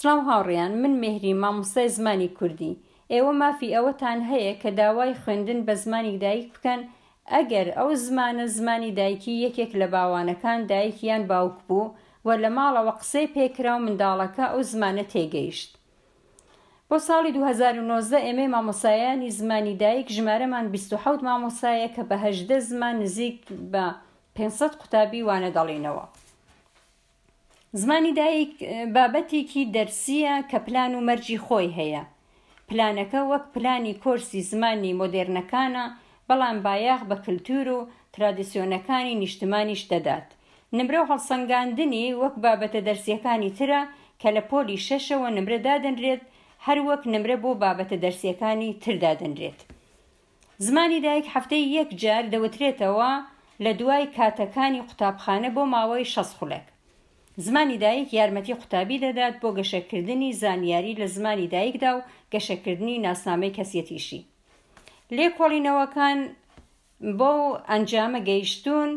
سڵاو هاوڕێیان من مێهریم مامۆستای زمانی کوردی ئێوە مافی ئەوەتان هەیە کە داوای خوێندن بە زمانی دایک بکەن ئەگەر ئەو زمانە زمانی دایکی یەکێک لە باوانەکان دایک یان باوک بوو و لە ماڵەوە قسەی پێکرا و منداڵەکە ئەو زمانە تێگەیشت. بۆ ساڵی 2019 ئێمەی مامۆستایانی زمانی دایک ژمارەمان 27 مامۆستایە کە بە 18 زمان نزیک بە 500 قوتابی وانە دەڵێینەوە. زمانی دایک بابەتێکی دەرسییە کە پلان و مەرجی خۆی هەیە. پلانەکە وەک پلانی کۆرسی زمانی مۆدێرنەکانە، بەڵام بایەخ بە کلتور و ترادیسیۆنەکانی نیشتمانیش دەدات. نمرە و هەڵسەنگاندنی وەک بابەتە دەرسییەکانی ترە کە لە پۆلی شەشەوە نمرە دادەنرێت هەر وەک نمرە بۆ بابەتە دەرسییەکانی تر دادەنرێت. زمانی دایک هەفتەی یەک جار دەوترێتەوە لە دوای کاتەکانی قوتابخانە بۆ ماوەی 60 خولەک. زمانی دایک یارمەتی قوتابی دەدات بۆ گەشەکردنی زانیاری لە زمانی دایکدا و گەشەکردنی ناسنامەی کەسیەتیشی. لێکۆڵینەوەکان بەو ئەنجامە گەیشتوون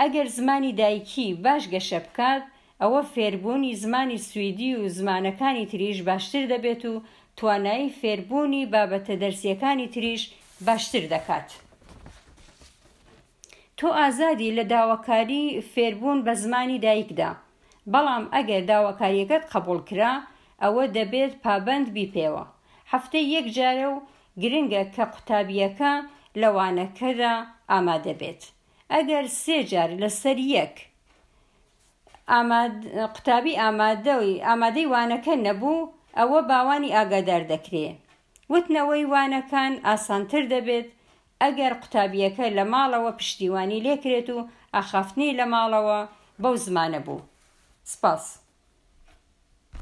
ئەگەر زمانی دایکی باش گەشە بکات، ئەوە فێربوونی زمانی سویدی و زمانەکانی تریش باشتر دەبێت و توانایی فێربوونی بابەتە دەرسییەکانی تریش باشتر دەکات. تۆ ئازادی لە داواکاری فێربوون بە زمانی دایکدا، بەڵام ئەگەر داواکارییەکەت قبوڵ کرا، ئەوە دەبێت پابەند بی پێوە. هەفتەی یەک جارە و گرنگە کە قوتابییەکە لە وانەکەدا ئامادە بێت. ئەگەر سێ جار لەسەر یەک قوتابی ئامادەی وانەکە نەبوو، ئەوە باوانی ئاگادار دەکرێ. وتنەوەی وانەکان ئاسانتر دەبێت ئەگەر قوتابییەکە لە ماڵەوە پشتیوانی لێکرێت و ئاخافتنی لە ماڵەوە بەو زمانە بوو. سپاس.